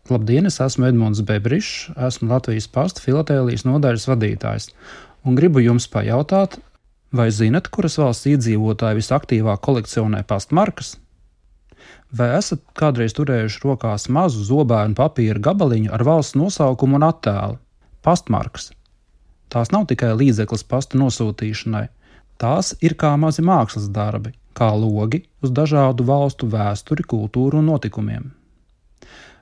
Labdien, es esmu Edmunds Bebrišs, esmu Latvijas Pasta filatēlijas nodaļas vadītājs un gribu jums pajautāt, vai zinat, kuras valsts iedzīvotāji visaktīvāk kolekcionē pastmarkas? Vai esat kādreiz turējuši rokās mazu zobēnu papīra gabaliņu ar valsts nosaukumu un attēlu – pastmarkas? Tās nav tikai līdzeklis pasta nosūtīšanai, tās ir kā mazi mākslas darbi, kā logi uz dažādu valstu vēsturi, kultūru un notikumiem.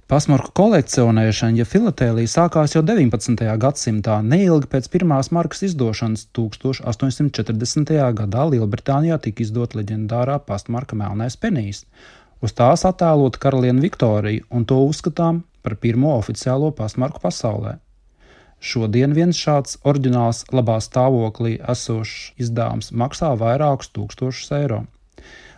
Pastmarku kolekcionēšana, ja filatēlija sākās jau 19. gadsimtā, neilgi pēc pirmās markas izdošanas 1840. gadā Lielbritānijā tika izdota leģendārā pastmarka Melnais penijs. Uz tās attēlota karaliene Viktorija, un to uzskatām par pirmo oficiālo pastmarku pasaulē. Šodien viens šāds oriģināls labā stāvoklī esošs izdevums maksā vairākus tūkstošus eiro.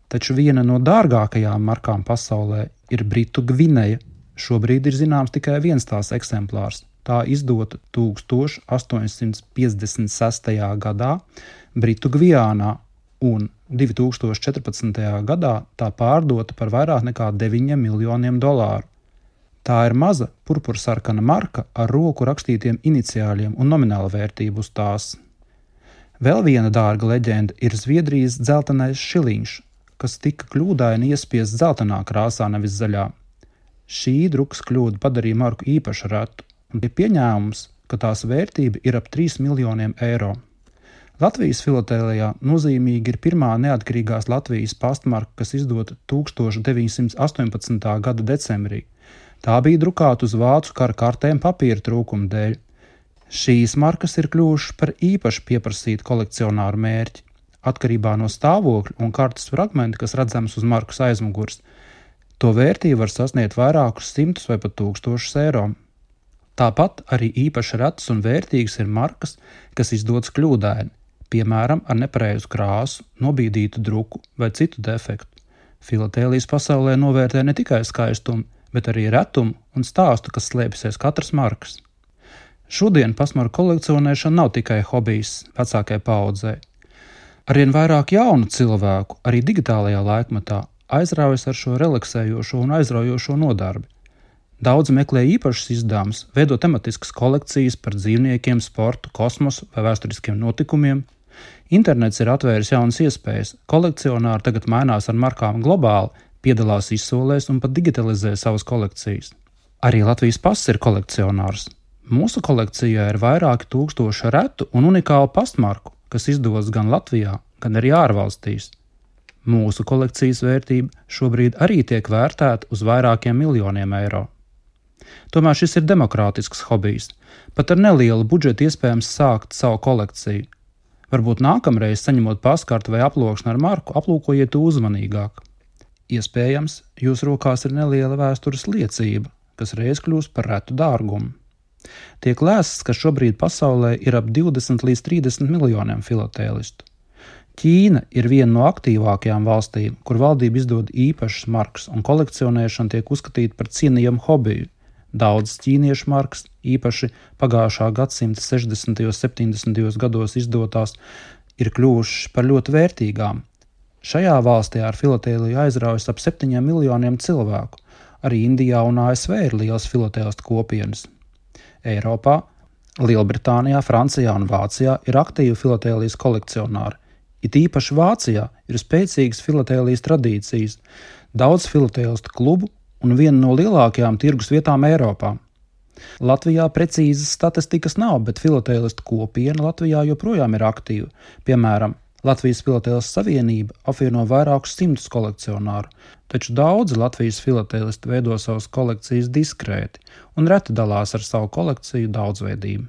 Taču viena no dārgākajām markām pasaulē ir Britu Gvineja. Šobrīd ir zināms tikai viens tās eksemplārs. Tā izdota 1856. gadā Britu Gvijānā un 2014. gadā tā pārdota par vairāk nekā $9 miljoniem. Tā ir maza purpursarkana marka ar roku rakstītiem iniciāļiem un nomināla vērtību uz tās. Vēl viena dārga leģenda ir Zviedrijas dzeltenais šiliņš, kas tika kļūdaini iespiests dzeltenā krāsā, nevis zaļā. Šī drukas kļūda padarīja marku īpaši retu, un ir pieņēmums, ka tās vērtība ir ap 3 miljoniem eiro. Latvijas filatēlijā nozīmīgi ir pirmā neatkarīgās Latvijas pastmarka, kas izdota 1918. gada decembrī. Tā bija drukāta uz vācu kara kartēm papīra trūkuma dēļ. Šīs markas ir kļuvušas par īpaši pieprasītu kolekcionāru mērķi, atkarībā no stāvokļa un kartes fragmenta, kas redzams uz markas aizmugures. To vērtību var sasniegt vairākus simtus vai pat tūkstošus eiro. Tāpat arī īpaši retas un vērtīgas ir markas, kas izdotas kļūdaini, piemēram, ar nepareizu krāsu, nobīdītu druku vai citu defektu. Filatēlijas pasaulē novērtē ne tikai skaistumu, bet arī retumu un stāstu, kas slēpjas katras markas. Šodien pastmarku kolekcionēšana nav tikai hobijs vecākai paaudzei. Arvien vairāk jaunu cilvēku, arī digitālajā laikmetā, aizraujas ar šo relaksējošo un aizraujošo nodarbi. Daudzi meklē īpašus izdevumus, veido tematiskas kolekcijas par dzīvniekiem, sportu, kosmosu vai vēsturiskiem notikumiem. Internets ir atvēris jaunas iespējas, kolekcionāri tagad mainās ar markām globāli, piedalās izsolēs un pat digitalizē savas kolekcijas. Arī Latvijas Pasts ir kolekcionārs. Mūsu kolekcijā ir vairāki tūkstoši retu un unikālu pastmarku, kas izdodas gan Latvijā, gan arī ārvalstīs. Mūsu kolekcijas vērtība šobrīd arī tiek vērtēta uz vairākiem miljoniem eiro. Tomēr šis ir demokrātisks hobijs. Pat ar nelielu budžetu iespējams sākt savu kolekciju. Varbūt nākamreiz, saņemot pastkarti vai aploksni ar marku, aplūkojiet to uzmanīgāk. Iespējams, jūsu rokās ir neliela vēstures liecība, kas reiz kļūst par retu dārgumu. Tiek lēsts, ka šobrīd pasaulē ir ap 20 līdz 30 miljoniem filatēlistu. Ķīna ir viena no aktīvākajām valstīm, kur valdība izdod īpašas markas un kolekcionēšana tiek uzskatīta par cienījamu hobiju. Daudzas ķīniešu markas, īpaši pagājušā gadsimta 60. un 70. gados izdotās, ir kļuvušas par ļoti vērtīgām. Šajā valstī ar filatēliju aizraujas ap 7 miljoniem cilvēku. Arī Indijā un ASV ir liels filatēlistu kopienas. Eiropā, Lielbritānijā, Francijā un Vācijā ir aktīvi filatēlijas kolekcionāri. It īpaši Vācijā ir spēcīgas filatēlijas tradīcijas, daudz filatēlistu klubu un viena no lielākajām tirgus vietām Eiropā. Latvijā precīzas statistikas nav, bet filatēlistu kopiena Latvijā joprojām ir aktīva. Piemēram, Latvijas Filatēlistu savienība apvieno vairākus simtus kolekcionāru, taču daudzi Latvijas filatēlisti veido savas kolekcijas diskrēti un reti dalās ar savu kolekciju daudzveidību.